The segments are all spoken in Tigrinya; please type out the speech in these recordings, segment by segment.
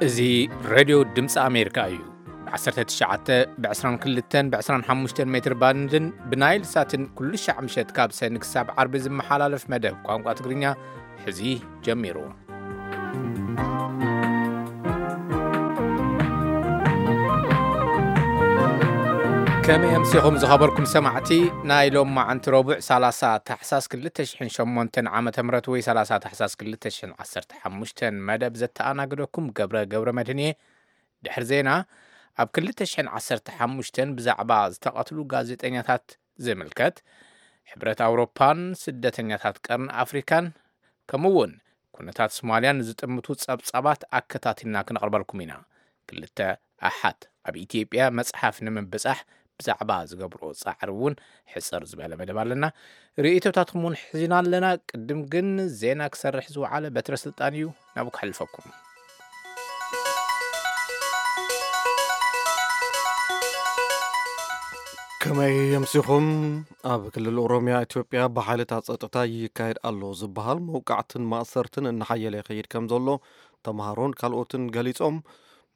እዚ ሬድዮ ድምፂ ኣሜሪካ እዩ። ብ19፣ ብ22፣ ብ25 ሜትር ባንድን ብናይል ሳትን ኩሉ ሻዕ ምሸት ካብ ሰኒ ክሳብ ዓርቢ ዝመሓላለፍ መደብ ቋንቋ ትግርኛ ሕዚ ጀሚሩ። ከመይ ኣምሲኹም ዝኸበርኩም ሰማዕቲ? ናይ ሎም መዓንቲ ረቡዕ 30 ታሕሳስ 2008 ዓመተ ምህረት ወይ 30 ታሕሳስ 2015 መደብ ዘተኣናግደኩም ገብረ ገብረ መድህን እየ። ድሕሪ ዜና፣ ኣብ 2015 ብዛዕባ ዝተቐትሉ ጋዜጠኛታት ዝምልከት፣ ሕብረት ኣውሮፓን ስደተኛታት ቀርኒ ኣፍሪካን ከምኡ እውን ኩነታት ሶማልያን ዝጥምቱ ጸብጻባት ኣከታቲልና ክንቕርበልኩም ኢና። ክልተ ኣሓት ኣብ ኢትዮጵያ መጽሓፍ ንምብጻሕ ብዛዕባ ዝገብርኦ ጻዕሪ እውን ሕጽር ዝበለ መደብ ኣለና። ርእይቶታትኩም እውን ሒዝና ኣለና። ቅድም ግን ዜና ክሰርሕ ዝወዓለ በትረ ስልጣን እዩ፣ ናብኡ ክሕልፈኩም። ከመይ የምሲኹም? ኣብ ክልል ኦሮሚያ ኢትዮጵያ ብሓይልታት ጸጥታ ይካየድ ኣሎ ዝበሃል መውቃዕትን ማእሰርትን እናሓየለ ይኸይድ ከም ዘሎ ተምሃሮን ካልኦትን ገሊጾም።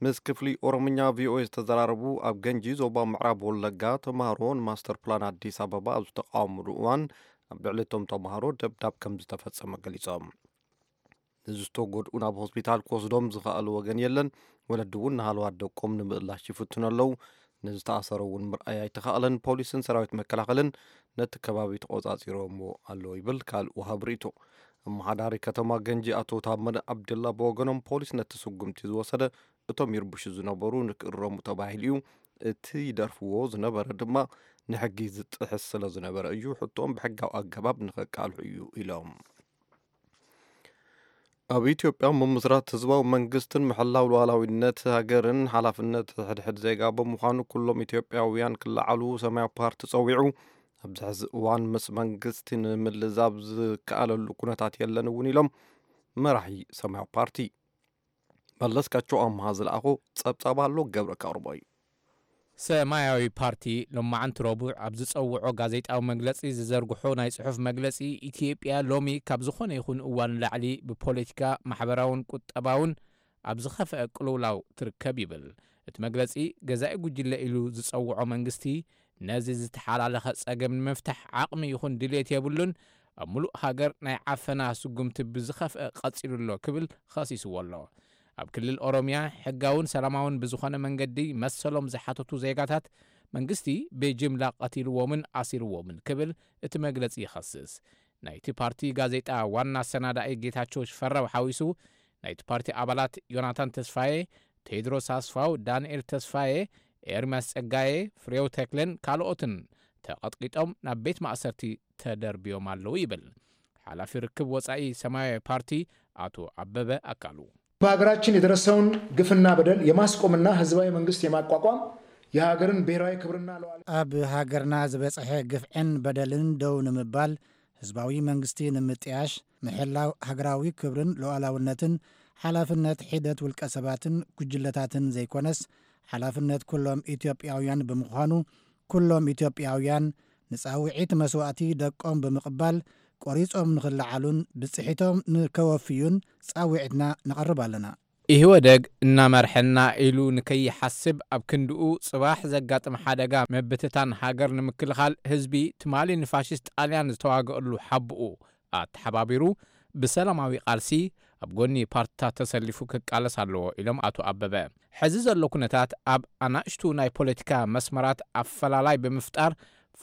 ምስ ክፍሊ ኦሮምኛ ቪኦኤ ዝተዘራረቡ ኣብ ገንጂ ዞባ ምዕራብ ወለጋ ተምሃሮ ንማስተር ፕላን ኣዲስ ኣበባ ኣብ ዝተቃወምሉ እዋን ኣብ ልዕሊ እቶም ተምሃሮ ደብዳብ ከም ዝተፈጸመ ገሊጾም። ንዝተጎድኡ ናብ ሆስፒታል ክወስዶም ዝኸኣሉ ወገን የለን። ወለዲ እውን ንሃለዋት ደቆም ንምእላሽ ይፍትኑ ኣለዉ። ንዝተኣሰረ እውን ምርኣይ ኣይተኻእለን። ፖሊስን ሰራዊት መከላኸልን ነቲ ከባቢ ተቖጻጺሮምዎ ኣለዉ ይብል ካልእ ወሃብ ርእይቶ። ኣመሓዳሪ ከተማ ገንጂ ኣቶ ታመነ ኣብደላ ብወገኖም ፖሊስ ነቲ ስጉምቲ ዝወሰደ እቶም ይርብሹ ዝነበሩ ንክእረሙ ተባሂሉ እዩ። እቲ ይደርፍዎ ዝነበረ ድማ ንሕጊ ዝጥሕስ ስለ ዝነበረ እዩ። ሕቶኦም ብሕጋዊ ኣገባብ ንኸቃልሑ እዩ ኢሎም። ኣብ ኢትዮጵያ ምምስራት ህዝባዊ መንግስትን ምሕላው ሉዓላዊነት ሃገርን ሓላፍነት ሕድሕድ ዜጋ ብምዃኑ ኩሎም ኢትዮጵያውያን ክለዓሉ ሰማያዊ ፓርቲ ጸዊዑ። ኣብዚ ሕዚ እዋን ምስ መንግስቲ ንምልዛብ ዝከኣለሉ ኩነታት የለን እውን ኢሎም መራሒ ሰማያዊ ፓርቲ። መለስካቸው ኣምሃ ዝለኣኾ ጸብጻብ ኣሎ፣ ገብረ ከቕርቦ እዩ። ሰማያዊ ፓርቲ ሎማዓንቲ ረቡዕ ኣብ ዝጸውዖ ጋዜጣዊ መግለጺ ዝዘርግሖ ናይ ጽሑፍ መግለጺ፣ ኢትዮጵያ ሎሚ ካብ ዝኾነ ይኹን እዋን ላዕሊ ብፖለቲካ፣ ማሕበራውን ቁጠባውን ኣብ ዝኸፍአ ቅልውላው ትርከብ ይብል። እቲ መግለጺ፣ ገዛኢ ጉጅለ ኢሉ ዝጸውዖ መንግስቲ ነዚ ዝተሓላለኸ ጸገም ንምፍታሕ ዓቕሚ ይኹን ድልየት የብሉን፣ ኣብ ምሉእ ሃገር ናይ ዓፈና ስጉምቲ ብዝኸፍአ ቀጺሉ ኣሎ ክብል ኸሲስዎ ኣሎ። ኣብ ክልል ኦሮምያ ሕጋውን ሰላማውን ብዝኾነ መንገዲ መሰሎም ዝሓተቱ ዜጋታት መንግስቲ ብጅምላ ቀቲልዎምን ኣሲርዎምን ክብል እቲ መግለጺ ይኸስስ። ናይቲ ፓርቲ ጋዜጣ ዋና ኣሰናዳኢ ጌታቸው ሽፈራው ሓዊሱ ናይቲ ፓርቲ ኣባላት ዮናታን ተስፋዬ፣ ቴድሮስ ኣስፋው፣ ዳንኤል ተስፋዬ፣ ኤርምያስ ጸጋዬ፣ ፍሬው ተክለን ካልኦትን ተቐጥቂጦም ናብ ቤት ማእሰርቲ ተደርብዮም ኣለዉ ይብል። ሓላፊ ርክብ ወጻኢ ሰማያዊ ፓርቲ ኣቶ ኣበበ ኣካሉ። በሀገራችን የደረሰውን ግፍና በደል የማስቆምና ህዝባዊ መንግስት የማቋቋም የሀገርን ብሔራዊ ክብርና ሉዓላዊ ኣብ ሃገርና ዝበጽሐ ግፍዕን በደልን ደው ንምባል ህዝባዊ መንግስቲ ንምጥያሽ፣ ምሕላው ሃገራዊ ክብርን ሉዓላውነትን ሓላፍነት ሒደት ውልቀ ሰባትን ጉጅለታትን ዘይኮነስ ሓላፍነት ኩሎም ኢትዮጵያውያን ብምዃኑ ኩሎም ኢትዮጵያውያን ንጻውዒት መስዋእቲ ደቆም ብምቕባል ቆሪጾም ንኽለዓሉን ብጽሒቶም ንከወፍዩን ጻውዒትና ነቕርብ ኣለና። ኢህወደግ እናመርሐና ኢሉ ንከይሓስብ ኣብ ክንድኡ ጽባሕ ዘጋጥም ሓደጋ ምብትታን ሃገር ንምክልኻል ህዝቢ ትማሊ ንፋሽስት ጣልያን ዝተዋገኣሉ ሓብኡ ኣተሓባቢሩ ብሰላማዊ ቃልሲ ኣብ ጎኒ ፓርትታት ተሰሊፉ ክቃለስ ኣለዎ ኢሎም ኣቶ ኣበበ። ሕዚ ዘሎ ኩነታት ኣብ ኣናእሽቱ ናይ ፖለቲካ መስመራት ኣፈላላይ ብምፍጣር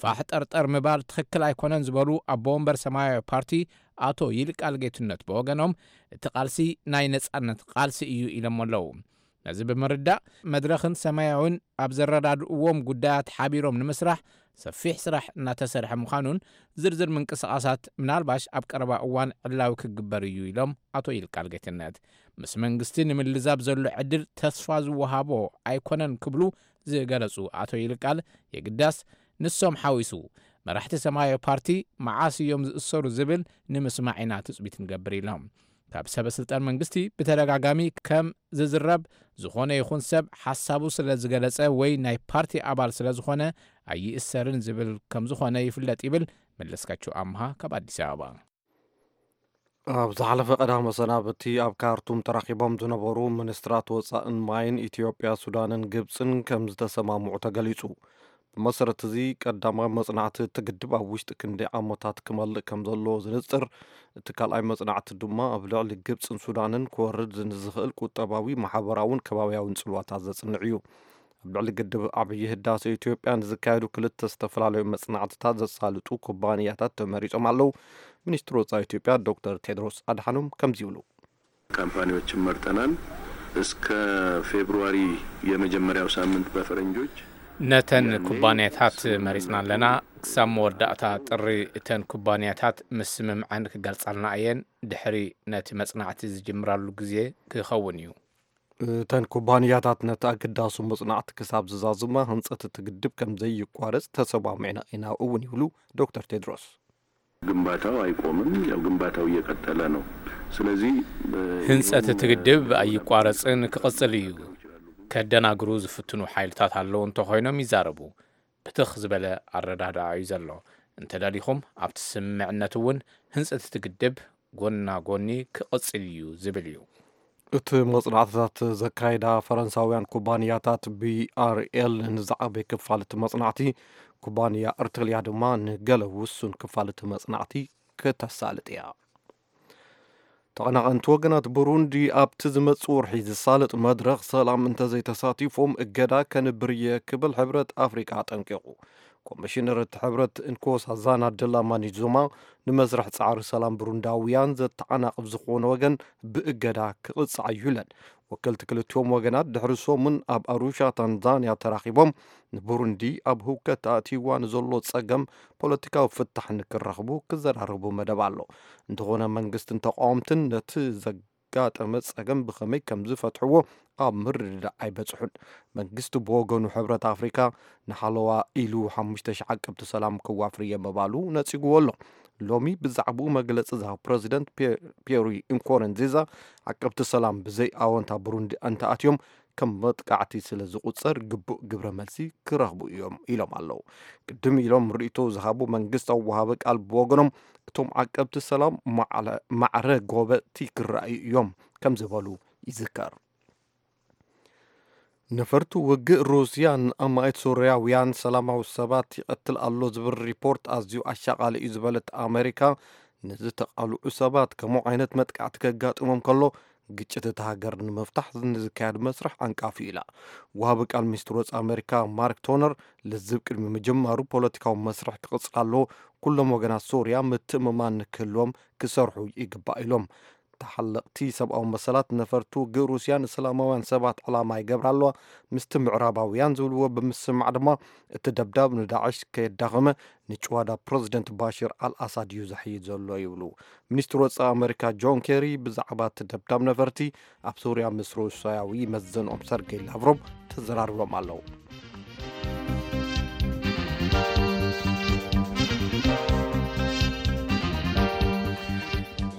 ፋሕ ጠርጠር ምባል ትኽክል ኣይኮነን ዝበሉ ኣቦ ወንበር ሰማያዊ ፓርቲ ኣቶ ይልቃል ጌትነት ብወገኖም እቲ ቃልሲ ናይ ነጻነት ቃልሲ እዩ ኢሎም ኣለዉ። ነዚ ብምርዳእ መድረኽን ሰማያውን ኣብ ዘረዳድእዎም ጉዳያት ሓቢሮም ንምስራሕ ሰፊሕ ስራሕ እናተሰርሐ ምዃኑን ዝርዝር ምንቅስቓሳት ምናልባሽ ኣብ ቀረባ እዋን ዕላዊ ክግበር እዩ ኢሎም ኣቶ ይልቃል ጌትነት። ምስ መንግስቲ ንምልዛብ ዘሎ ዕድል ተስፋ ዝወሃቦ ኣይኮነን ክብሉ ዝገለጹ ኣቶ ይልቃል የግዳስ ንሶም ሓዊሱ መራሕቲ ሰማያዊ ፓርቲ መዓስ እዮም ዝእሰሩ ዝብል ንምስማዕ ኢና ትጽቢት ንገብር ኢሎም። ካብ ሰበ ስልጣን መንግስቲ ብተደጋጋሚ ከም ዝዝረብ ዝኾነ ይኹን ሰብ ሓሳቡ ስለ ዝገለጸ ወይ ናይ ፓርቲ ኣባል ስለ ዝኾነ ኣይእሰርን ዝብል ከም ዝኾነ ይፍለጥ ይብል መለስካቸው ኣምሃ ካብ ኣዲስ ኣበባ። ኣብ ዝሓለፈ ቀዳመ ሰናብቲ ኣብ ካርቱም ተራኺቦም ዝነበሩ ሚኒስትራት ወጻእን ማይን ኢትዮጵያ፣ ሱዳንን ግብጽን ከም ዝተሰማምዑ ተገሊጹ። ብመሰረት እዚ፣ ቀዳማይ መጽናዕቲ እቲ ግድብ ኣብ ውሽጢ ክንደይ ዓመታት ክመልእ ከም ዘለዎ ዝንጽር፣ እቲ ካልኣይ መጽናዕቲ ድማ ኣብ ልዕሊ ግብጽን ሱዳንን ክወርድ ንዝኽእል ቁጠባዊ፣ ማሕበራውን ከባብያውን ጽልዋታት ዘጽንዕ እዩ። ኣብ ልዕሊ ግድብ ዓብዪ ህዳሴ ኢትዮጵያ ንዝካየዱ ክልተ ዝተፈላለዩ መጽናዕትታት ዘሳልጡ ኩባንያታት ተመሪጾም ኣለዉ። ሚኒስትር ወጻኢ ኢትዮጵያ ዶክተር ቴድሮስ ኣድሓኖም ከምዚ ይብሉ። ካምፓኒዎችን መርጠናል። እስከ ፌብሩዋሪ የመጀመሪያው ሳምንት በፈረንጆች ነተን ኩባንያታት መሪጽና ኣለና። ክሳብ መወዳእታ ጥሪ እተን ኩባንያታት ምስምምዐን ክገልጻልና እየን። ድሕሪ ነቲ መጽናዕቲ ዝጅምራሉ ግዜ ክኸውን እዩ። እተን ኩባንያታት ነቲ ኣገዳሱ መጽናዕቲ ክሳብ ዝዛዝማ ህንጸት እቲ ግድብ ከም ዘይቋረጽ ተሰማሚዕና ኢና እውን ይብሉ ዶክተር ቴድሮስ። ግንባታው አይቆምም። ያው ግንባታው እየቀጠለ ነው። ስለዚህ ህንጸት እቲ ግድብ ኣይቋረጽን ክቕጽል እዩ። ከደናግሩ ዝፍትኑ ሓይልታት ኣለዉ እንተኾይኖም ይዛረቡ። ብትኽ ዝበለ ኣረዳድኣ እዩ ዘሎ። እንተደሊኹም ኣብቲ ስምምዕነት እውን ህንጸት እቲ ግድብ ጎና ጎኒ ክቕጽል እዩ ዝብል እዩ። እቲ መጽናዕትታት ዘካየዳ ፈረንሳውያን ኩባንያታት ቢኣርኤል ንዝዓበየ ክፋል እቲ መጽናዕቲ፣ ኩባንያ እርትልያ ድማ ንገለ ውሱን ክፋል እቲ መጽናዕቲ ክተሳልጥ እያ። ተቐናቐንቲ ወገናት ብሩንዲ ኣብቲ ዝመጽእ ወርሒ ዝሳለጥ መድረኽ ሰላም እንተዘይተሳቲፎም እገዳ ከንብር እየ ክብል ሕብረት ኣፍሪቃ ኣጠንቂቑ። ኮሚሽነር እቲ ሕብረት እንኮሳዛና ድላማኒ ዙማ ንመስርሕ ጻዕሪ ሰላም ብሩንዳውያን ዘተዓናቕፍ ዝኾነ ወገን ብእገዳ ክቕጻዕ እዩ ኢለን። ወከልቲ ክልቲኦም ወገናት ድሕሪ ሰሙን ኣብ ኣሩሻ ታንዛንያ ተራኺቦም ንቡሩንዲ ኣብ ህውከት ኣእትይዋ ንዘሎ ጸገም ፖለቲካዊ ፍታሕ ንክረኽቡ ክዘራረቡ መደብ ኣሎ። እንተኾነ መንግስትን ተቃወምትን ነቲ ዘጋጠመ ጸገም ብኸመይ ከም ዝፈትሕዎ ኣብ ምርድዳእ ኣይበጽሑን። መንግስቲ ብወገኑ ሕብረት ኣፍሪካ ንሓለዋ ኢሉ ሓሙሽተ ሽሕ ዓቀብቲ ሰላም ከዋፍር እየ ምባሉ ነጺግዎ ኣሎ። ሎሚ ብዛዕባኡ መግለጺ ዝሃቡ ፕረዚደንት ፒ- ፒየሪ ኢንኮረንዚዛ ዓቀብቲ ሰላም ብዘይ ኣወንታ ብሩንዲ እንተኣትዮም ከም መጥቃዕቲ ስለ ዝቑጸር ግቡእ ግብረ መልሲ ክረኽቡ እዮም ኢሎም ኣለዉ። ቅድም ኢሎም ርእይቶ ዝሃቡ መንግስታዊ ወሃቢ ቃል ብወገኖም እቶም ዓቀብቲ ሰላም ማዕለ- ማዕረ ጎበጥቲ ክረኣዩ እዮም ከም ዝበሉ ይዝከር። ነፈርቲ ውግእ ሩስያ ንኣማኢት ሶርያውያን ሰላማዊ ሰባት ይቐትል ኣሎ ዝብል ሪፖርት ኣዝዩ ኣሻቓሊ እዩ ዝበለት ኣሜሪካ፣ ንዝተቓልዑ ሰባት ከምኡ ዓይነት መጥቃዕቲ ከጋጥሞም ከሎ ግጭት እታ ሃገር ንምፍታሕ ንዝካየድ መስርሕ ዓንቃፊ ኢላ። ወሃቢ ቃል ሚኒስትር ወጻኢ ኣሜሪካ ማርክ ቶነር ልዝብ ቅድሚ ምጅማሩ ፖለቲካዊ መስርሕ ክቕጽል ኣለዎ፣ ኩሎም ወገናት ሶርያ ምትእምማን ንክህልዎም ክሰርሑ ይግባእ ኢሎም። ተሓለቕቲ ሰብኣዊ መሰላት ነፈርቲ ውግእ ሩስያ ንሰላማውያን ሰባት ዕላማ ይገብራ ኣለዋ፣ ምስቲ ምዕራባውያን ዝብልዎ ብምስማዕ ድማ እቲ ደብዳብ ንዳዕሽ ከየዳኸመ ንጭዋዳ ፕረዚደንት ባሽር ኣልኣሳድ እዩ ዘሕይል ዘሎ ይብሉ። ሚኒስትር ወጻኢ ኣሜሪካ ጆን ኬሪ ብዛዕባ እቲ ደብዳብ ነፈርቲ ኣብ ሶርያ ምስ ሩስያዊ መዘንኦም ሰርጌይ ላቭሮቭ ተዘራርቦም ኣለዉ።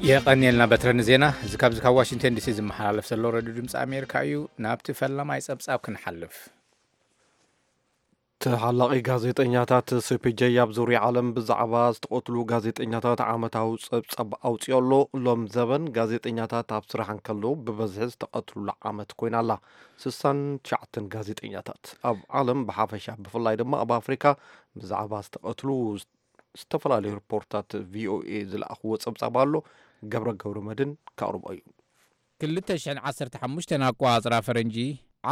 የቐንየልና በትረ ንዜና እዚ ካብዚ ካብ ዋሽንግተን ዲሲ ዝመሓላለፍ ዘሎ ረድዮ ድምፂ ኣሜሪካ እዩ። ናብቲ ፈላማይ ፀብፃብ ክንሓልፍ። ተሓላቒ ጋዜጠኛታት ሲ ፒ ጄ ኣብ ዙርያ ዓለም ብዛዕባ ዝተቐትሉ ጋዜጠኛታት ዓመታዊ ፀብፃብ ኣውፅኦ ኣሎ። ሎም ዘበን ጋዜጠኛታት ኣብ ስራሕ እንከለዉ ብበዝሒ ዝተቐትሉላ ዓመት ኮይና ኣላ። ስሳን ትሽዓተን ጋዜጠኛታት ኣብ ዓለም ብሓፈሻ ብፍላይ ድማ ኣብ ኣፍሪካ ብዛዕባ ዝተቐትሉ ዝተፈላለዩ ሪፖርታት ቪ ኦ ኤ ዝለኣኽዎ ጸብጻብ ኣሎ። ገብረ ገብረ መድን ከቕርቦ እዩ። ክልተ ሽሕን ዓሰርተ ሓሙሽተን ኣቆጻጽራ ፈረንጂ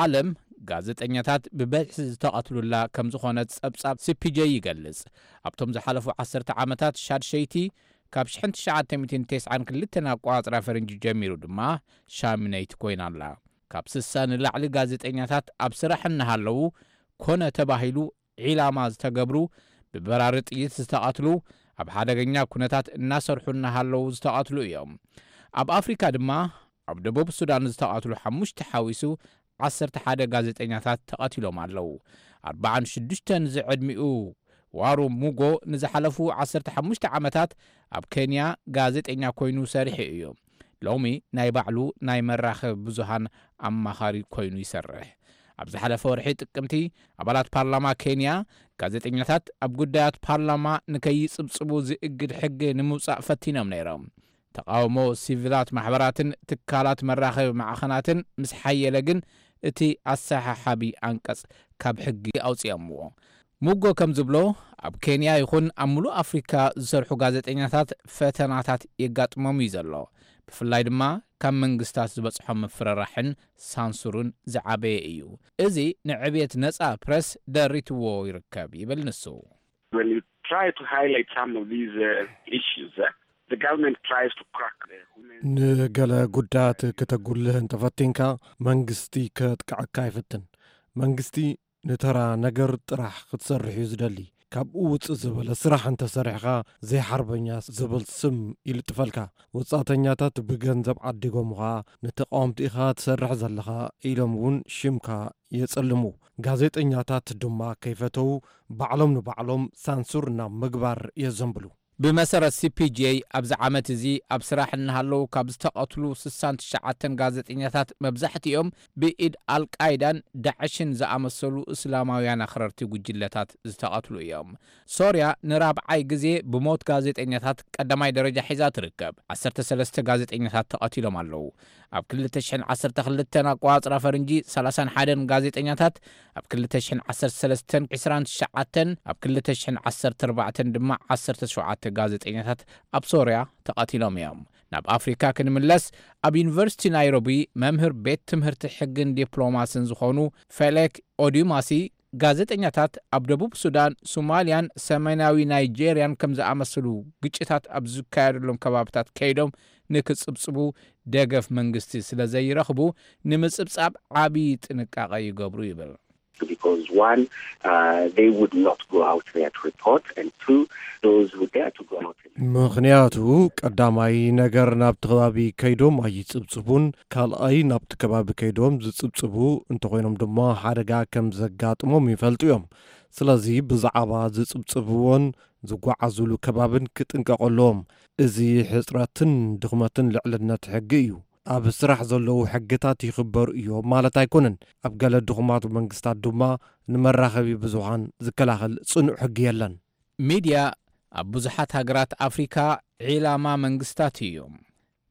ዓለም ጋዜጠኛታት ብበዝሒ ዝተቐትሉላ ከም ዝኾነት ጸብጻብ ሲ ፒ ጄ ይገልጽ። ኣብቶም ዝሓለፉ ዓሰርተ ዓመታት ሻድሸይቲ ካብ ሽሕን ትሽዓተ ሚእትን ተስዓን ክልተን ኣቆጻጽራ ፈረንጂ ጀሚሩ ድማ ሻምነይቲ ኮይና ኣላ። ካብ ስሳ ንላዕሊ ጋዜጠኛታት ኣብ ስራሕ እናሃለዉ ኮነ ተባሂሉ ዒላማ ዝተገብሩ፣ ብበራሪ ጥይት ዝተቐትሉ፣ ኣብ ሓደገኛ ኩነታት እናሰርሑ እናሃለዉ ዝተቐትሉ እዮም። ኣብ ኣፍሪካ ድማ ኣብ ደቡብ ሱዳን ዝተቐትሉ ሓሙሽተ ሓዊሱ ዓሰርተ ሓደ ጋዜጠኛታት ተቐቲሎም ኣለዉ። ኣርባዓን ሽዱሽተን ዝዕድሚኡ ዋሩ ሙጎ ንዝሓለፉ ዓሰርተ ሓሙሽተ ዓመታት ኣብ ኬንያ ጋዜጠኛ ኮይኑ ሰሪሑ እዩ። ሎሚ ናይ ባዕሉ ናይ መራኸቢ ብዙሃን ኣማኻሪ ኮይኑ ይሰርሕ። ኣብ ዝሓለፈ ወርሒ ጥቅምቲ ኣባላት ፓርላማ ኬንያ ጋዜጠኛታት ኣብ ጉዳያት ፓርላማ ንከይጽብጽቡ ዝእግድ ሕጊ ንምውጻእ ፈቲኖም ነይሮም። ተቓውሞ ሲቪላት ማሕበራትን ትካላት መራኸቢ ማዕኸናትን ምስ ሓየለ ግን እቲ ኣሰሓሓቢ ኣንቀጽ ካብ ሕጊ ኣውጺኦምዎ። ሙጎ ከም ዝብሎ፣ ኣብ ኬንያ ይኹን ኣብ ምሉእ ኣፍሪካ ዝሰርሑ ጋዜጠኛታት ፈተናታት የጋጥሞም እዩ ዘሎ። ብፍላይ ድማ ካብ መንግስታት ዝበጽሖም ምፍርራሕን ሳንሱርን ዝዓበየ እዩ። እዚ ንዕብየት ነጻ ፕረስ ደሪትዎ ይርከብ ይብል ንሱ። When you try to highlight some of these uh, issues, uh, the government tries to crack the human ንገለ ጉዳያት ክተጉልህ እንተፈቲንካ መንግስቲ ከጥቅዐካ ይፍትን። መንግስቲ ንተራ ነገር ጥራሕ ክትሰርሕ እዩ ዝደሊ። ካብኡ ውፅእ ዝበለ ስራሕ እንተሰሪሕኻ ዘይሓርበኛ ዝብል ስም ይልጥፈልካ። ወፃእተኛታት ብገንዘብ ዓዲጎምኻ ንተቃወምቲ ኢኻ ትሰርሕ ዘለኻ ኢሎም እውን ሽምካ የፀልሙ። ጋዜጠኛታት ድማ ከይፈተው ባዕሎም ንባዕሎም ሳንሱር ናብ ምግባር የዘንብሉ። ብመሰረት C P J ኣብዚ ዓመት እዚ ኣብ ስራሕ እናሃለዉ ካብ ዝተቐትሉ ስሳን ትሽዓተን ጋዜጠኛታት መብዛሕትኦም ብኢድ ኣልቃይዳን ዳዕሽን ዝኣመሰሉ እስላማውያን ኣኽረርቲ ጉጅለታት ዝተቐትሉ እዮም። ሶርያ ንራብዓይ ግዜ ብሞት ጋዜጠኛታት ቀዳማይ ደረጃ ሒዛ ትርከብ። ዓሰርተ ሰለስተ ጋዜጠኛታት ተቐቲሎም ኣለዉ። ኣብ ክልተ ሽሕን ዓሰርተ ክልተን ኣቋጽራ ፈርንጂ ሰላሳን ሓደን ጋዜጠኛታት፣ ኣብ ክልተ ሽሕን ዓሰርተ ሰለስተን ዕስራን ትሽዓተን፣ ኣብ ክልተ ሽሕን ዓሰርተ ኣርባዕተን ድማ ዓሰርተ ሸውዓተ ጋዜጠኛታት ኣብ ሶርያ ተቐቲሎም እዮም። ናብ ኣፍሪካ ክንምለስ፣ ኣብ ዩኒቨርሲቲ ናይሮቢ መምህር ቤት ትምህርቲ ሕግን ዲፕሎማስን ዝኾኑ ፌሌክ ኦዲማሲ፣ ጋዜጠኛታት ኣብ ደቡብ ሱዳን፣ ሶማልያን ሰሜናዊ ናይጄርያን ከም ዝኣመሰሉ ግጭታት ኣብ ዝካየደሎም ከባብታት ከይዶም ንክጽብጽቡ ደገፍ መንግስቲ ስለ ዘይረኽቡ፣ ንምጽብጻብ ዓቢ ጥንቃቐ ይገብሩ ይብል። Because one, uh, they would not go out there to report, and two, those who dare to go out and ምኽንያቱ ቀዳማይ ነገር ናብቲ ከባቢ ከይዶም ኣይጽብጽቡን፣ ካልኣይ ናብቲ ከባቢ ከይዶም ዝጽብጽቡ እንተኾይኖም ድማ ሓደጋ ከም ዘጋጥሞም ይፈልጡ እዮም። ስለዚ ብዛዕባ ዝጽብጽብዎን ዝጓዓዙሉ ከባብን ክጥንቀቑ ኣለዎም። እዚ ሕጽረትን ድኽመትን ልዕልነት ሕጊ እዩ። ኣብ ስራሕ ዘለዉ ሕግታት ይኽበሩ እዮም ማለት ኣይኮነን። ኣብ ገለ ድኹማት መንግስታት ድማ ንመራኸቢ ብዙሃን ዝከላኸል ጽኑዕ ሕጊ የለን። ሚድያ ኣብ ብዙሓት ሃገራት ኣፍሪካ ዒላማ መንግስታት እዮም።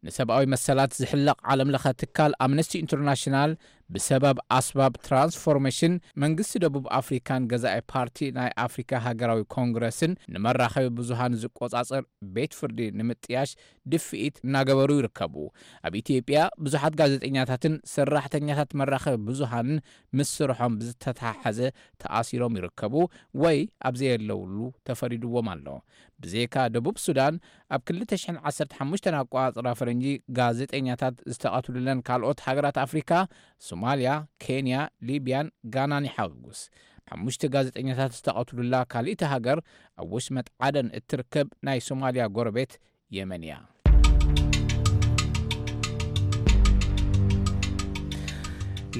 ንሰብኣዊ መሰላት ዝሕለቕ ዓለምለኸ ትካል ኣምነስቲ ኢንተርናሽናል ብሰበብ ኣስባብ ትራንስፎርሜሽን መንግስቲ ደቡብ ኣፍሪካን ገዛኢ ፓርቲ ናይ ኣፍሪካ ሃገራዊ ኮንግረስን ንመራኸቢ ብዙሃን ዝቆጻጸር ቤት ፍርዲ ንምጥያሽ ድፍኢት እናገበሩ ይርከቡ። ኣብ ኢትዮጵያ ብዙሓት ጋዜጠኛታትን ሰራሕተኛታት መራኸቢ ብዙሃንን ምስ ስርሖም ብዝተተሓሓዘ ተኣሲሮም ይርከቡ ወይ ኣብ ዘየለውሉ ተፈሪድዎም ኣሎ። ብዘይካ ደቡብ ሱዳን ኣብ ክልተ ሽሕን ዓሰርተ ሓሙሽተን ኣቋጽራ ፈረንጂ ጋዜጠኛታት ዝተቐትሉለን ካልኦት ሃገራት ኣፍሪካ ሶማልያ፣ ኬንያ፣ ሊብያን ጋናን ይሓውስ። ሓሙሽተ ጋዜጠኛታት ዝተቐትሉላ ካልእቲ ሃገር ኣብ ወሽመጥ ዓደን እትርከብ ናይ ሶማልያ ጎረቤት የመን እያ።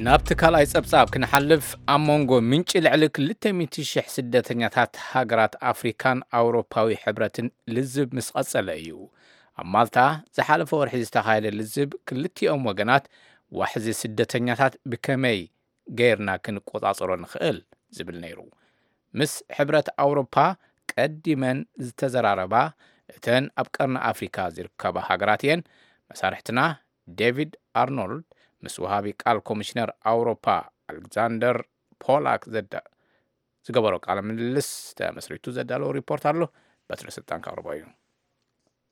ናብቲ ካልኣይ ጸብጻብ ክንሓልፍ፣ ኣብ መንጎ ምንጪ ልዕሊ ክልተ ሚእቲ ሽሕ ስደተኛታት ሃገራት ኣፍሪካን ኣውሮፓዊ ሕብረትን ልዝብ ምስ ቐጸለ እዩ። ኣብ ማልታ ዝሓለፈ ወርሒ ዝተኻየደ ልዝብ ክልቲኦም ወገናት ዋሕዚ ስደተኛታት ብከመይ ገይርና ክንቆጻጸሮ ንኽእል ዝብል ነይሩ። ምስ ሕብረት ኣውሮፓ ቀዲመን ዝተዘራረባ እተን ኣብ ቀርኒ ኣፍሪካ ዝርከባ ሃገራት እየን። መሳርሕትና ዴቪድ ኣርኖልድ ምስ ወሃቢ ቃል ኮሚሽነር ኣውሮፓ ኣሌክዛንደር ፖላክ ዘዳ ዝገበሮ ቃለ ምልልስ ተመስሪቱ ዘዳለዎ ሪፖርት ኣሎ። በትሪ ስልጣን ከቕርቦ እዩ።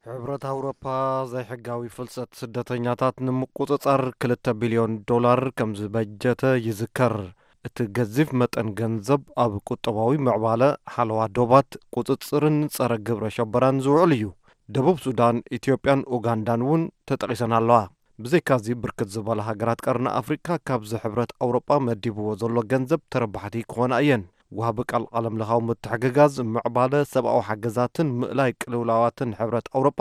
ሕብረት ኣውሮፓ ዘይሕጋዊ ፍልሰት ስደተኛታት ንምቁጽጻር ክልተ ቢልዮን ዶላር ከም ዝበጀተ ይዝከር። እቲ ገዚፍ መጠን ገንዘብ ኣብ ቁጠባዊ ምዕባለ፣ ሓለዋ ዶባት፣ ቁጽጽርን ጸረ ግብረ ሸበራን ዝውዕል እዩ። ደቡብ ሱዳን፣ ኢትዮጵያን ኡጋንዳን እውን ተጠቒሰን ኣለዋ። ብዘይካዚ ብርክት ዝበላ ሃገራት ቀርኒ ኣፍሪቃ ካብዚ ሕብረት ኣውሮጳ መዲብዎ ዘሎ ገንዘብ ተረባሕቲ ክኾና እየን። ወሃቢ ቃል ዓለምለኻዊ ምትሕግጋዝ፣ ምዕባለ፣ ሰብኣዊ ሓገዛትን ምእላይ ቅልውላዋትን ሕብረት ኣውሮጳ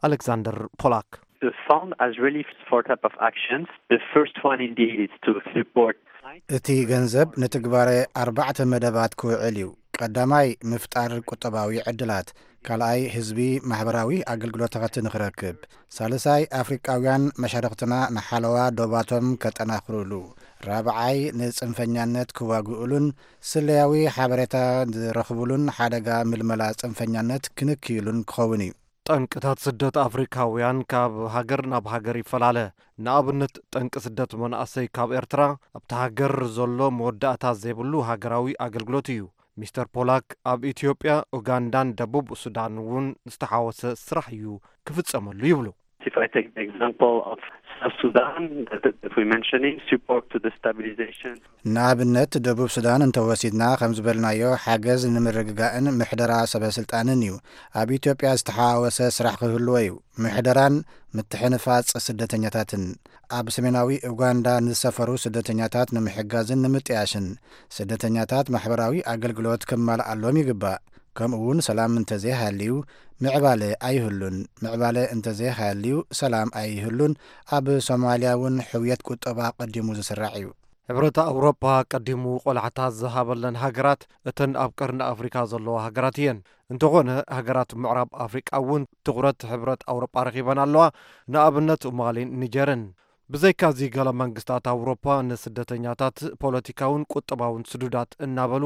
ኣሌክሳንደር ፖላክ። The fund has really four type of actions. The first one indeed is to support እቲ ገንዘብ ንትግባረ ኣርባዕተ መደባት ክውዕል እዩ። ቀዳማይ ምፍጣር ቁጠባዊ ዕድላት፣ ካልኣይ ህዝቢ ማሕበራዊ ኣገልግሎታት ንኽረክብ፣ ሳልሳይ ኣፍሪቃውያን መሻርኽትና ንሓለዋ ዶባቶም ከጠናኽሩሉ፣ ራብዓይ ንጽንፈኛነት ክዋግኡሉን ስለያዊ ሓበሬታ ዝረኽቡሉን ሓደጋ ምልመላ ጽንፈኛነት ክንክይሉን ክኸውን እዩ። ጠንቅታት ስደት ኣፍሪካውያን ካብ ሃገር ናብ ሃገር ይፈላለ። ንኣብነት፣ ጠንቂ ስደት መናእሰይ ካብ ኤርትራ ኣብቲ ሃገር ዘሎ መወዳእታ ዘይብሉ ሃገራዊ ኣገልግሎት እዩ። ሚስተር ፖላክ ኣብ ኢትዮጵያ፣ ኡጋንዳን ደቡብ ሱዳን እውን ዝተሓወሰ ስራሕ እዩ ክፍጸመሉ ይብሉ። If I take the example of South Sudan, that, that we're mentioning, support to the stabilization. ንኣብነት ደቡብ ሱዳን እንተወሲድና፣ ከም ዝበልናዮ፣ ሓገዝ ንምርግጋእን ምሕደራ ሰበ ስልጣንን እዩ። ኣብ ኢትዮጵያ ዝተሓዋወሰ ስራሕ ክህልዎ እዩ። ምሕደራን ምትሕንፋጽ ስደተኛታትን፣ ኣብ ሰሜናዊ ኡጋንዳ ንዝሰፈሩ ስደተኛታት ንምሕጋዝን ንምጥያሽን፣ ስደተኛታት ማሕበራዊ ኣገልግሎት ክማልኣሎም ይግባእ። ከምኡ እውን ሰላም እንተዘይሃልዩ ምዕባለ ኣይህሉን። ምዕባለ እንተዘይሃልዩ ሰላም ኣይህሉን። ኣብ ሶማልያ እውን ሕውየት ቁጠባ ቀዲሙ ዝስራዕ እዩ። ሕብረት ኣውሮፓ ቀዲሙ ቆላሕታ ዝሃበለን ሃገራት እተን ኣብ ቀርኒ ኣፍሪካ ዘለዋ ሃገራት እየን። እንተኾነ፣ ሃገራት ምዕራብ ኣፍሪቃ እውን ትኹረት ሕብረት ኣውሮፓ ረኺበን ኣለዋ፣ ንኣብነት ማሊን ኒጀርን። ብዘይካዚ፣ ገለ መንግስታት ኣውሮፓ ንስደተኛታት ፖለቲካውን ቁጠባውን ስዱዳት እናበሉ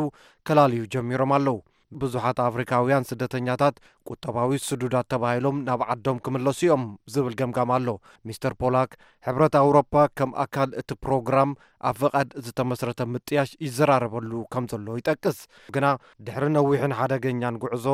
ከላልዩ ጀሚሮም ኣለዉ። ብዙሓት ኣፍሪካውያን ስደተኛታት ቁጠባዊ ስዱዳት ተባሂሎም ናብ ዓዶም ክምለሱ እዮም ዝብል ገምጋም ኣሎ። ሚስተር ፖላክ፣ ሕብረት ኣውሮፓ ከም ኣካል እቲ ፕሮግራም ኣብ ፍቓድ ዝተመስረተ ምጥያሽ ይዘራረበሉ ከም ዘሎ ይጠቅስ። ግና ድሕሪ ነዊሕን ሓደገኛን ጉዕዞ፣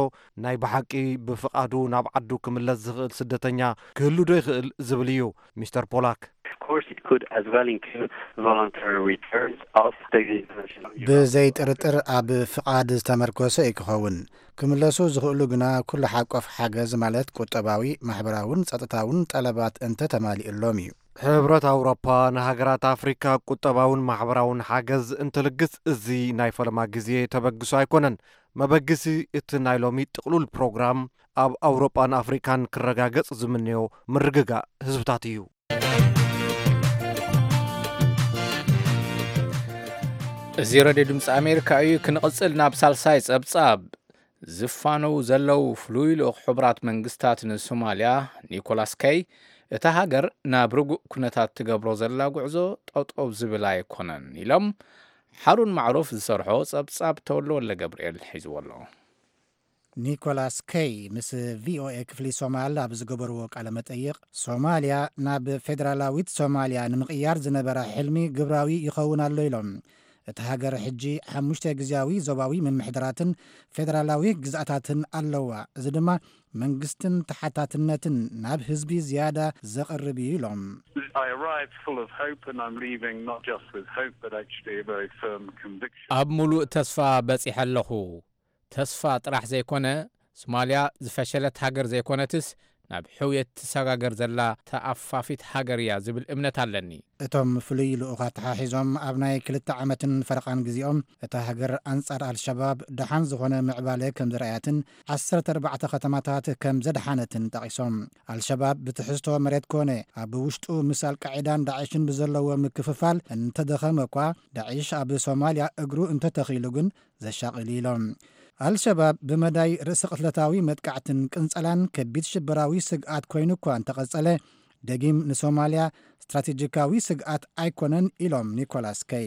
ናይ ብሓቂ ብፍቓዱ ናብ ዓዱ ክምለስ ዝኽእል ስደተኛ ክህሉ ዶ ይኽእል ዝብል እዩ። ሚስተር ፖላክ፣ Of course, it could as well include voluntary returns of the international humanitarian ብዘይ ጥርጥር ኣብ ፍቓድ ዝተመርኮሰ እዩ ክኸውን። ክምለሱ ዝኽእሉ ግና ኩሉ ሓቆፍ ሓገዝ፣ ማለት ቁጠባዊ፣ ማሕበራውን ጸጥታውን ጠለባት እንተ ተማሊኡሎም እዩ። ሕብረት ኣውሮፓ ንሃገራት ኣፍሪካ ቁጠባውን ማሕበራውን ሓገዝ እንትልግስ፣ እዚ ናይ ፈለማ ግዜ ተበግሶ ኣይኮነን። መበግሲ እቲ ናይ ሎሚ ጥቕሉል ፕሮግራም ኣብ ኣውሮጳን ኣፍሪካን ክረጋገጽ ዝምንዮ ምርግጋእ ህዝብታት እዩ። እዚ ሬድዮ ድምፂ ኣሜሪካ እዩ። ክንቕፅል ናብ ሳልሳይ ጸብጻብ። ዝፋነው ዘለዉ ፍሉይ ልኡኽ ሕቡራት መንግስታት ንሶማልያ ኒኮላስ ከይ፣ እታ ሃገር ናብ ርጉእ ኩነታት ትገብሮ ዘላ ጉዕዞ ጠጠው ዝብል ኣይኮነን ኢሎም። ሓሩን ማዕሩፍ ዝሰርሖ ጸብጻብ ተወልደ ወልደ ገብርኤል ሒዝዎ ኣሎ። ኒኮላስ ከይ ምስ ቪኦኤ ክፍሊ ሶማል ኣብ ዝገበርዎ ቃለ መጠይቕ፣ ሶማልያ ናብ ፌደራላዊት ሶማልያ ንምቕያር ዝነበራ ሕልሚ ግብራዊ ይኸውን ኣሎ ኢሎም። እታ ሃገር ሕጂ ሓሙሽተ ግዝያዊ ዞባዊ ምምሕዳራትን ፌደራላዊ ግዝኣታትን ኣለዋ። እዚ ድማ መንግስትን ተሓታትነትን ናብ ህዝቢ ዝያዳ ዘቕርብ እዩ ኢሎም። I arrived full of hope and I'm leaving not just with hope but actually a very firm conviction. ኣብ ሙሉእ ተስፋ በጺሐ ኣለኹ። ተስፋ ጥራሕ ዘይኮነ፣ ሶማልያ ዝፈሸለት ሃገር ዘይኮነትስ፣ ናብ ሕውየት ትሰጋገር ዘላ ተኣፋፊት ሃገር እያ ዝብል እምነት ኣለኒ። እቶም ፍሉይ ልኡኽ ኣተሓሒዞም፣ ኣብ ናይ ክልተ ዓመትን ፈረቓን ግዜኦም፣ እታ ሃገር ኣንጻር ኣልሸባብ ደሓን ዝኾነ ምዕባለ ከም ዘርኣያትን ዓሰርተ ኣርባዕተ ከተማታት ከም ዘድሓነትን ጠቒሶም። ኣልሸባብ ብትሕዝቶ መሬት ኮነ ኣብ ውሽጡ ምስ ኣልቃዒዳን ዳዕሽን ብዘለዎ ምክፍፋል እንተደኸመ እኳ፣ ዳዕሽ ኣብ ሶማልያ እግሩ እንተተኺሉ ግን ዘሻቕል ኢሎም። ኣልሸባብ ብመዳይ ርእሰ ቅትለታዊ መጥቃዕትን ቅንጸላን ከቢድ ሽበራዊ ስግኣት ኮይኑ እኳ እንተቐጸለ፣ ደጊም ንሶማልያ ስትራቴጂካዊ ስግኣት ኣይኮነን ኢሎም ኒኮላስ ከይ።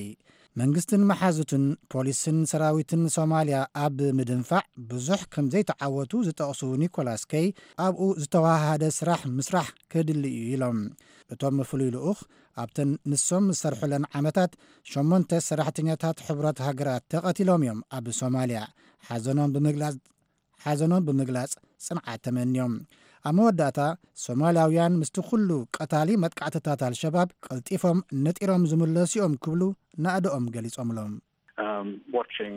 መንግስትን መሓዙትን፣ ፖሊስን ሰራዊትን ሶማልያ ኣብ ምድንፋዕ ብዙሕ ከም ዘይተዓወቱ ዝጠቕሱ ኒኮላስ ከይ፣ ኣብኡ ዝተዋሃሃደ ስራሕ ምስራሕ ከድሊ እዩ ኢሎም። እቶም ፍሉይ ልኡኽ ኣብተን ንሶም ዝሰርሑለን ዓመታት ሸሞንተ ሰራሕተኛታት ሕቡራት ሃገራት ተቐቲሎም እዮም ኣብ ሶማልያ። ሓዘኖም ብምግላጽ፣ ሓዘኖም ብምግላጽ ጽንዓት ተመንዮም። ኣብ መወዳእታ፣ ሶማልያውያን ምስቲ ኩሉ ቀታሊ መጥቃዕትታት ኣልሸባብ ቀልጢፎም ነጢሮም ዝምለሱ እዮም ክብሉ ናእድኦም ገሊጾምሎም። Um, watching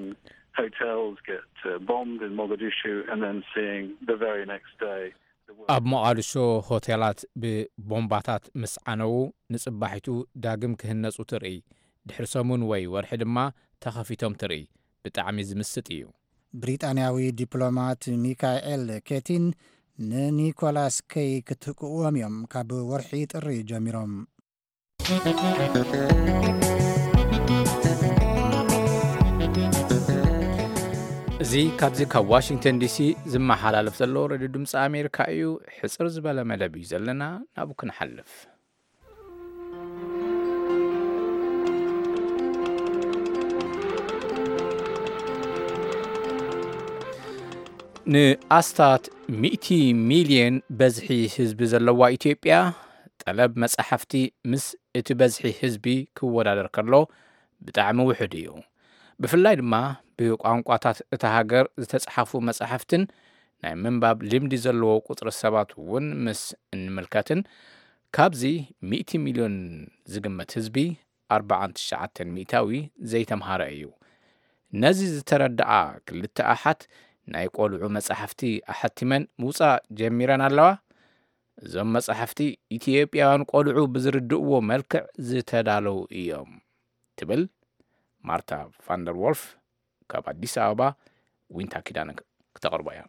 hotels get uh, bombed in Mogadishu and then seeing the very next day the world ኣብ ሞቓድሾ ሆቴላት ብቦምባታት ምስ ዓነዉ፣ ንጽባሒቱ ዳግም ክህነጹ ትርኢ። ድሕሪ ሰሙን ወይ ወርሒ ድማ ተኸፊቶም ትርኢ። ብጣዕሚ ዝምስጥ እዩ። ብሪጣንያዊ ዲፕሎማት ሚካኤል ኬቲን ንኒኮላስ ከይ ክትክእዎም እዮም ካብ ወርሒ ጥሪ ጀሚሮም። እዚ ካብዚ ካብ ዋሽንግተን ዲሲ ዝመሓላለፍ ዘሎ ሬድዮ ድምፂ ኣሜሪካ እዩ። ሕፅር ዝበለ መደብ እዩ ዘለና፣ ናብኡ ክንሓልፍ። ንኣስታት ሚእቲ ሚልዮን በዝሒ ህዝቢ ዘለዋ ኢትዮጵያ፣ ጠለብ መጻሕፍቲ ምስ እቲ በዝሒ ህዝቢ ክወዳደር ከሎ ብጣዕሚ ውሑድ እዩ። ብፍላይ ድማ ብቋንቋታት እታ ሃገር ዝተጻሕፉ መጻሕፍትን ናይ ምንባብ ልምዲ ዘለዎ ቁጽሪ ሰባት እውን ምስ እንምልከትን፣ ካብዚ ሚእቲ ሚልዮን ዝግመት ህዝቢ ኣርብዓን ትሽዓተን ሚእታዊ ዘይተምሃረ እዩ። ነዚ ዝተረድኣ ክልተ ኣሓት ናይ ቆልዑ መጻሕፍቲ ኣሐቲመን ምውጻእ ጀሚረን ኣለዋ። እዞም መጻሕፍቲ ኢትዮጵያውያን ቆልዑ ብዝርድእዎ መልክዕ ዝተዳለዉ እዮም ትብል ማርታ ፋንደር ዎልፍ። ካብ ኣዲስ ኣበባ ዊንታ ኪዳነ ክተቕርቦ እያ።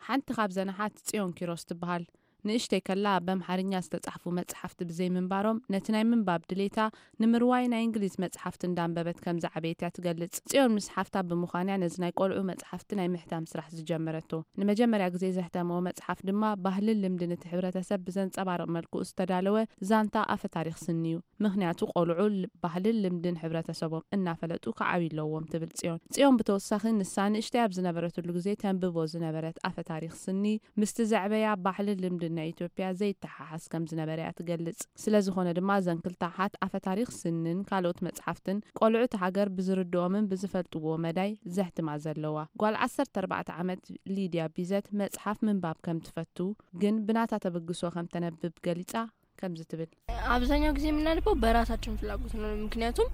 ሓንቲ ካብዘን ኣሓት ጽዮን ኪሮስ ትበሃል። ንእሽተይ ከላ በምሓርኛ ዝተጻሕፉ መጽሓፍቲ ብዘይምንባሮም ነቲ ናይ ምንባብ ድሌታ ንምርዋይ ናይ እንግሊዝ መጽሓፍቲ እንዳንበበት ከም ዝዓበየት እያ ትገልጽ። ጽዮን ምስ ሓፍታ ብምዃን እያ ነዚ ናይ ቆልዑ መጽሓፍቲ ናይ ምሕታም ስራሕ ዝጀመረቶ። ንመጀመርያ ግዜ ዘሕተመኦ መጽሓፍ ድማ ባህልን ልምድን እቲ ሕብረተሰብ ብዘንጸባርቕ መልክኡ ዝተዳለወ ዛንታ ኣፈ ታሪኽ ስኒ እዩ። ምኽንያቱ ቆልዑ ል-፣ ባህልን ልምድን ሕብረተሰቦም እናፈለጡ ክዓብዩ ኣለዎም ትብል ጽዮን። ጽዮን ብተወሳኺ ንሳ ንእሽተይ ኣብ ዝነበረትሉ ግዜ ተንብቦ ዝነበረት ኣፈ ታሪኽ ስኒ ምስቲ ዘዕበያ ባህልን ልምድን ናይ ኢትዮጵያ ዘይተሓሓዝ ከም ዝነበረ እያ ትገልጽ። ስለ ዝኾነ ድማ እዘን ክልተ ኣሓት ኣፈ ታሪኽ ስንን ካልኦት መጽሓፍትን ቆልዑ እቲ ሃገር ብዝርድኦምን ብዝፈልጥዎ መዳይ ዘሕትማ ዘለዋ። ጓል ዓሰርተ ኣርባዕተ ዓመት ሊድያ ቢዘት መጽሓፍ ምንባብ ከም ትፈቱ ግን ብናታ ተበግሶ ከም ተነብብ ገሊጻ ከምዚ ትብል። አብዛኛው ጊዜ የምናነበው በራሳችን ፍላጎት ነው። ምክንያቱም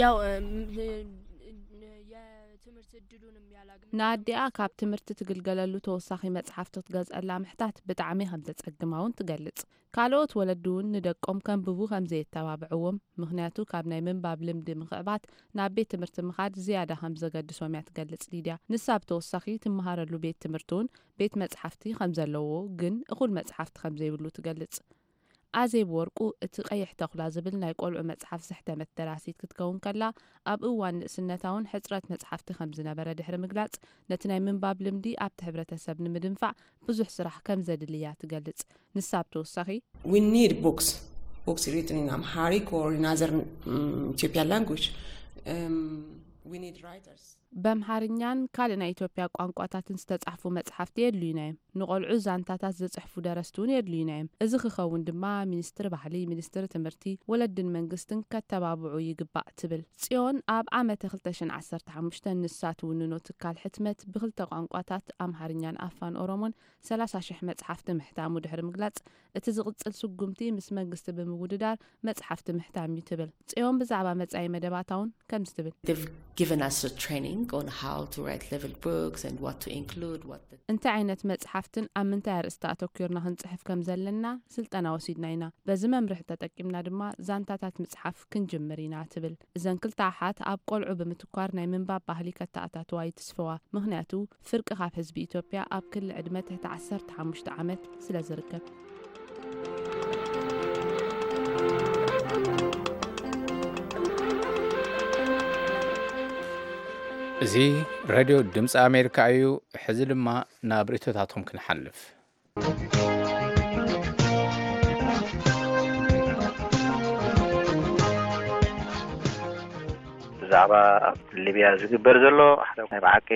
ያው የትምህርት እድሉንም ያላገኘ ንኣዲኣ ካብ ትምህርቲ ትግልገለሉ ተወሳኺ መጽሓፍቲ ክትገዝአላ ምሕታት ብጣዕሚ ከም ዘጸግማ እውን ትገልጽ። ካልኦት ወለዲ እውን ንደቆም ከንብቡ ከም ዘየተባብዕዎም፣ ምኽንያቱ ካብ ናይ ምንባብ ልምዲ ምኽዕባት ናብ ቤት ትምህርቲ ምኻድ ዝያዳ ከም ዘገድሶም እያ ትገልጽ ሊድያ። ንሳ ብተወሳኺ ትመሃረሉ ቤት ትምህርቲ እውን ቤት መጽሓፍቲ ከም ዘለዎ ግን እኹል መጽሓፍቲ ከም ዘይብሉ ትገልጽ። ኣዜብ ወርቁ እቲ ቀይሕ ተኹላ ዝብል ናይ ቆልዑ መጽሓፍ ዘሕተመት ደራሲት ክትከውን ከላ ኣብ እዋን ንእስነታ እውን ሕጽረት መጽሓፍቲ ከም ዝነበረ ድሕሪ ምግላጽ ነቲ ናይ ምንባብ ልምዲ ኣብቲ ሕብረተሰብ ንምድንፋዕ ብዙሕ ስራሕ ከም ዘድልያ ትገልጽ። ንሳ ብተወሳኺ We need books, books written in Amharic or in other um, Ethiopian language. Um, we need writers. በምሓርኛን ካልእ ናይ ኢትዮጵያ ቋንቋታትን ዝተጻሕፉ መጽሓፍቲ የድልዩና እዮም። ንቆልዑ ዛንታታት ዝጽሕፉ ደረስቲ እውን የድልዩና እዮም። እዚ ክኸውን ድማ ሚኒስትሪ ባህሊ፣ ሚኒስትሪ ትምህርቲ፣ ወለድን መንግስትን ከተባብዑ ይግባእ ትብል። ጽዮን ኣብ ዓመተ ክልተ ሽሕን ዓሰርተ ሓሙሽተን ንሳ ትውንኖ ትካል ሕትመት ብክልተ ቋንቋታት ኣምሓርኛን ኣፋን ኦሮሞን ሰላሳ ሽሕ መጽሓፍቲ ምሕታሙ ድሕሪ ምግላጽ፣ እቲ ዝቕጽል ስጉምቲ ምስ መንግስቲ ብምውድዳር መጽሓፍቲ ምሕታም እዩ ትብል። ጽዮን ብዛዕባ መጻኢ መደባታ እውን ከምዚ ትብል። They've given us a training on how to write level books and what to include, what the እንታይ ዓይነት መጽሓፍትን ኣብ ምንታይ ኣርእስቲ ኣተኲርና ክንጽሕፍ ከም ዘለና ስልጠና ወሲድና ኢና። በዚ መምርሒ ተጠቂምና ድማ ዛንታታት ምጽሓፍ ክንጅምር ኢና ትብል። እዘን ክልተ ኣሓት ኣብ ቆልዑ ብምትኳር ናይ ምንባብ ባህሊ ከተኣታትዋ ይትስፈዋ። ምኽንያቱ ፍርቂ ካብ ህዝቢ ኢትዮጵያ ኣብ ክሊ ዕድመ ትሕቲ ዓሰርተ ሓሙሽተ ዓመት ስለ ዝርከብ። እዚ ሬድዮ ድምፂ ኣሜሪካ እዩ። ሕዚ ድማ ናብ ርእይቶታትኩም ክንሓልፍ። ብዛዕባ ኣብ ሊብያ ዝግበር ዘሎ ሓደ ናይ ብሓቂ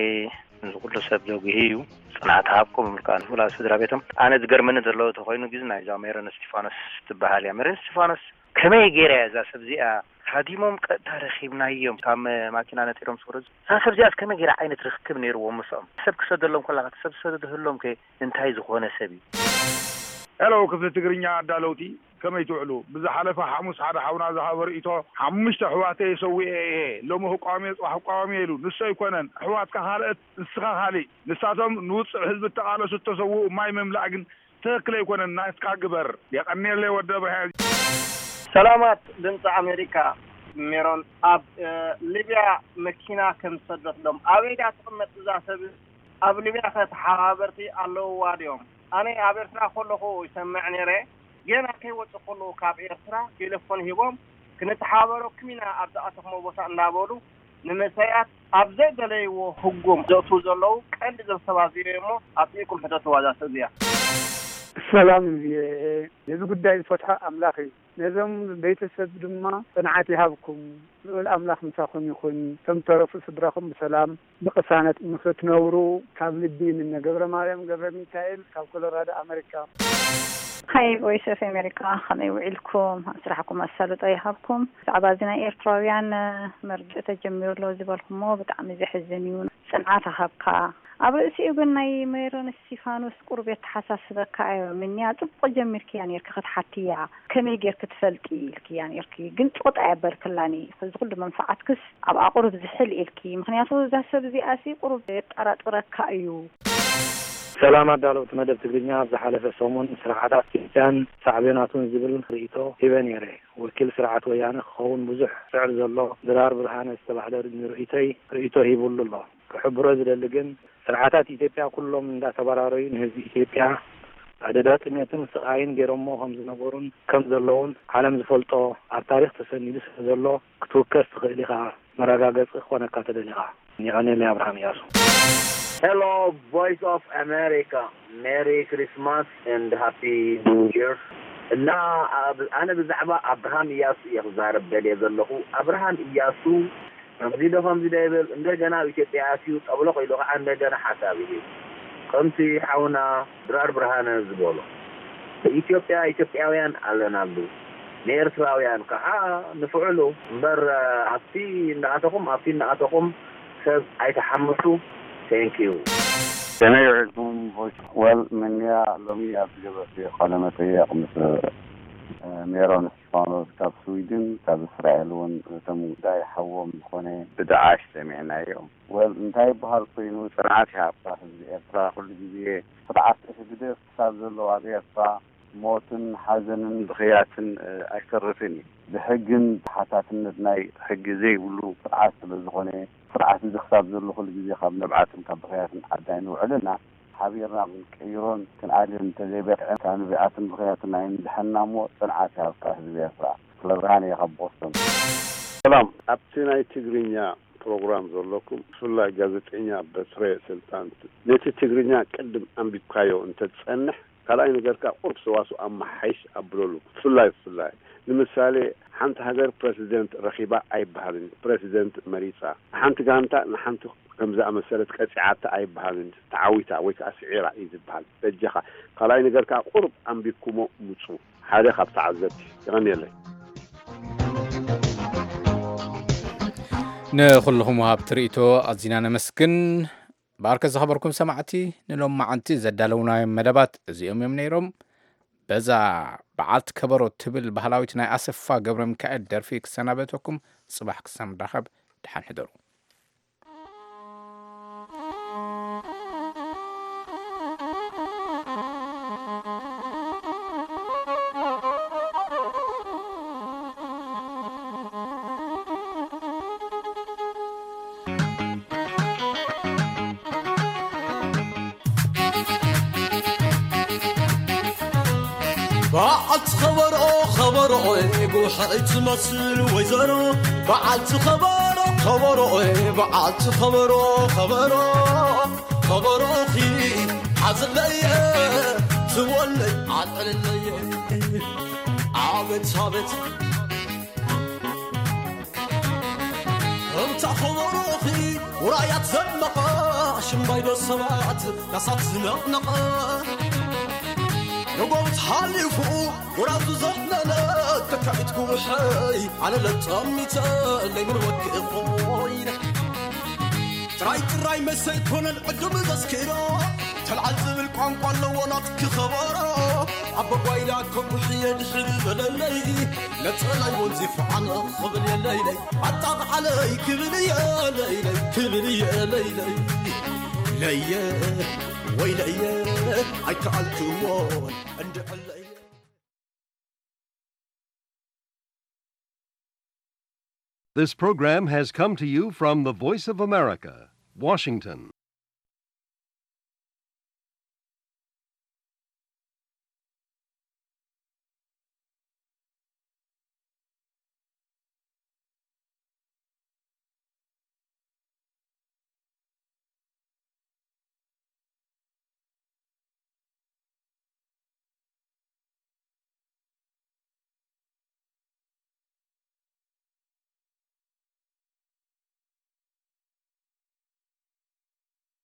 ንዚ ኩሉ ሰብ ዘጉሂ እዩ። ጽንዓት ሃብኩም ምልካ ንፍላ ስድራ ቤቶም። ኣነ ዝገርመኒ ዘሎ ተኾይኑ ግዜ ናይዛ ሜሮን እስቲፋኖስ ትበሃል እያ። ሜሮን እስቲፋኖስ ከመይ ገይራ እያ እዛ ሰብ እዚኣ ሃዲሞም ቀጥታ ረኺብናዮም ካብ ማኪና ነጢሮም ዝወረዱ? እዛ ሰብ እዚኣስ ከመይ ገይራ ዓይነት ርክብ ነይርዎም ምስኦም? ሰብ ክሰደሎም ከላ እቲ ሰብ ዝሰደደህሎም ከ እንታይ ዝኾነ ሰብ እዩ? ሄሎ ክፍሊ ትግርኛ ኣዳለውቲ፣ ከመይ ትውዕሉ? ብዝሓለፈ ሓሙስ ሓደ ሓውና ዝሃቦ ርእይቶ ሓሙሽተ ኣሕዋተይ ሰዊኤ እየ፣ ሎሚ ክቃወም እየ ጽባሕ ክቃወም እየ ኢሉ። ንሱ ኣይኮነን ኣሕዋትካ ካልኦት ንስኻ ካሊእ። ንሳቶም ንውጹዕ ህዝቢ እተቓለሱ እተሰውኡ ማይ ምምላእ ግን ትኽክል ኣይኮነን። ናትካ ግበር። የቐንየለይ ወዲ ኣብርሃ። ሰላማት ድምፂ ኣሜሪካ። ሜሮን ኣብ ሊብያ መኪና ከም ዝሰደትሎም ኣበይ ድያ ትቕመጥ እዛ ሰብ? ኣብ ሊብያ ከ ተሓባበርቲ ኣለውዋ ድዮም? ኣነ ኣብ ኤርትራ ከለኹ ይሰምዕ ነይረ። ጌና ከይወፅእ ከለዉ ካብ ኤርትራ ቴሌፎን ሂቦም ክንተሓባበረኩም ኢና ኣብ ዝኣተኹሞ ቦታ እናበሉ ንምሰያት ኣብ ዘይደለይዎ ህጎም ዘእትዉ ዘለዉ ቀንዲ ዘሰባዚዮ እሞ ኣጥቢቅኩም ሕተትዋ እዛ ሰብ እዚኣ። ሰላም ቪኦኤ፣ ነዚ ጉዳይ ዝፈትሖ ኣምላኽ እዩ። ነዞም ቤተሰብ ድማ ጽንዓት ይሃብኩም። ልዑል ኣምላኽ ምሳኹም ይኹን። ከም ተረፉ ስድራኹም ብሰላም ብቕሳነት ንኽትነብሩ ካብ ልቢ ይምነ። ገብረ ማርያም ገብረ ሚካኤል ካብ ኮሎራዶ ኣመሪካ። ሃይ ቮይስ ኦፍ ኣሜሪካ፣ ከመይ ውዒልኩም? ኣብ ስራሕኩም ኣሳልጦ ይሃብኩም። ብዛዕባ እዚ ናይ ኤርትራውያን መርድእ ተጀሚሩ ኣሎ ዝበልኩሞ ብጣዕሚ ዘሕዝን እዩ። ጽንዓት ኣሃብካ። ኣብ ርእሲኡ ግን ናይ ሜሮን እስቲፋኖስ ቁሩብ የተሓሳስበካ ኣዮ። ምንያ ጽቡቕ ጀሚርክያ ኔርኪ ክትሓትያ፣ ከመይ ጌርኪ ትፈልጢ ኢልክያ ኔርኪ። ግን ጽቕጥ ኣየበልክላኒ። እዚ ኩሉ መንፈዓትክስ ኣብኣ ቁሩብ ዝሕል ኢልኪ። ምኽንያቱ እዛ ሰብ እዚኣሲ ቁሩብ የጠራጥረካ እዩ። ሰላም ኣዳለውቲ መደብ ትግርኛ፣ ኣብ ዝሓለፈ ሰሙን ስርዓታት ኢትዮጵያን ሳዕቤናቱን ዝብል ርእይቶ ሂበ ነይረ። ወኪል ስርዓት ወያነ ክኸውን ብዙሕ ጽዕር ዘሎ ድራር ብርሃነ ዝተባህለ ንርእይቶይ ርእይቶ ሂቡሉ ኣሎ። ክሕብሮ ዝደሊ ግን ስርዓታት ኢትዮጵያ ኩሎም እንዳተበራረዩ ንህዝቢ ኢትዮጵያ ኣደዳ ጥሜትን ስቓይን ገይሮሞ ከም ዝነበሩን ከም ዘለውን ዓለም ዝፈልጦ ኣብ ታሪኽ ተሰኒዱ ስለ ዘሎ ክትውከስ ትኽእል ኢኻ። መረጋገጺ ክኾነካ ተደሊኻ። የቐንየለይ ኣብርሃም እያሱ። Hello, Voice of America. Merry Christmas and Happy New Year. እና ኣብ- ኣነ ብዛዕባ ኣብርሃም እያሱ እየ ክዛረብ ደልየ ዘለኹ። ኣብርሃም እያሱ ከምዚ ዶ ከምዚ ዶ ይብል፣ እንደገና ኣብ ኢትዮጵያ ኣትዩ ጠብለቕ ኢሉ ከዓ እንደገና ሓሳብ ይህብ። ከምቲ ሓውና ድራር ብርሃነ ዝበሎ፣ በኢትዮጵያ ኢትዮጵያውያን ኣለናሉ፣ ንኤርትራውያን ከዓ ንፍዕሉ እምበር፣ ኣብቲ እናኣተኹም ኣብቲ እናኣተኹም ሰብ ኣይተሓምሱ። Thank you. ከመይ ውዒልኩም ቮይስ? ወል ምንያ ሎሚ ኣብ ዝገበርኩ ቃለ መጠየቕ ምስ ሜሮን እስጢፋኖስ ካብ ስዊድን ካብ እስራኤል እውን እቶም ጉዳይ ሓዎም ዝኾነ ብደዓሽ ሰሚዕናዮ። ወል እንታይ ይበሃል ኮይኑ ጽንዓት ይሃብካ ህዝቢ ኤርትራ። ኩሉ ግዜ ስርዓት ህግደፍ ክሳብ ዘለዋ ኣብ ኤርትራ ሞትን ሓዘንን ብኽያትን ኣይተርፍን እዩ። ብሕግን ተሓታትነት ናይ ሕጊ ዘይብሉ ስርዓት ስለ ዝኾነ ስርዓት እዚ ክሳብ ዘሎ ኩሉ ግዜ ካብ ንብዓትን ካብ ብኽያትን ዓዳይ ንውዕልና ሓቢርና ክንቀይሮን ክንኣልን እንተዘይበቅዐ ካብ ንብዓትን ብኽያትን ኣይንድሐና እሞ ጽንዓት ይሃብካ ህዝቢ ኤርትራ። ክፍለ ብርሃን እየ ካብ ቦስተን። ሰላም። ኣብቲ ናይ ትግርኛ ፕሮግራም ዘለኩም ብፍላይ ጋዜጠኛ በትረ ስልጣን ነቲ ትግርኛ ቅድም ኣንቢብካዮ እንተትጸንሕ ካልኣይ ነገር ከኣ ቁሩብ ሰዋስው ኣመሓይሽ ኣብለሉ። ብፍላይ ብፍላይ ንምሳሌ ሓንቲ ሃገር ፕረሲደንት ረኺባ ኣይበሃልን፣ ፕረሲደንት መሪጻ። ሓንቲ ጋንታ ንሓንቲ ከም ዝኣመሰለት ቀጺዓታ ኣይበሃልን፣ ተዓዊታ ወይ ከኣ ስዒራ እዩ ዝበሃል። በጃኻ ካልኣይ ነገር ከኣ ቁሩብ ኣንቢብኩሞ ምጹ። ሓደ ካብ ተዓዘብቲ። የቐንየለይ። ንኹልኹም ወሃብቲ ርእይቶ ኣዚና ነመስግን። ብኣርከ ዝኸበርኩም ሰማዕቲ ንሎም መዓንቲ ዘዳለውናዮም መደባት እዚኦም እዮም ነይሮም። በዛ በዓልቲ ከበሮ ትብል ባህላዊት ናይ ኣሰፋ ገብረ ሚካኤል ደርፊ ክሰናበተኩም። ጽባሕ ክሳብ ንራኸብ ደሓን ሕደሩ። በዓልቲ ኸበሮ ኸበሮ ጉሕዒ ትመስል ወይዘሮ በዓልቲ ኸበሮ ኸበሮ በዓልቲ ኸበሮ ኸበሮ ኸበሮኺ ሓዘለየ ትወለይ ዓጠለለየ ኣቤት ኣቤት እታ ኸበሮኺ ውራያት ዘመቐ ሽምባይዶ ሰባት ዳሳት ዝነቕነቐ ነጎብት ሓሊፉ ጎራዙ ዘሕለለ ተካዒት ጉውሐይ ኣነ ለጠሚተ ለይምርወክ እኾይነ ጥራይ ጥራይ መሰይ ኮነን ዕዱም ዘስክሮ ተልዓል ዝብል ቋንቋ ኣለዎ ናትኪ ኸበሮ ኣቦጓይላ ከጉሕየ ድሕሪ በለለይ ነጸላይ ወንዚፉ ዓነ ኽብል የለይለይ ኣጣቕዓለይ ክብል የለይለይ ክብል የለይለይ ለየ ወይ ለየ ኣይከኣልክዎን እንድዕለይ This program has come to you from the Voice of America, Washington.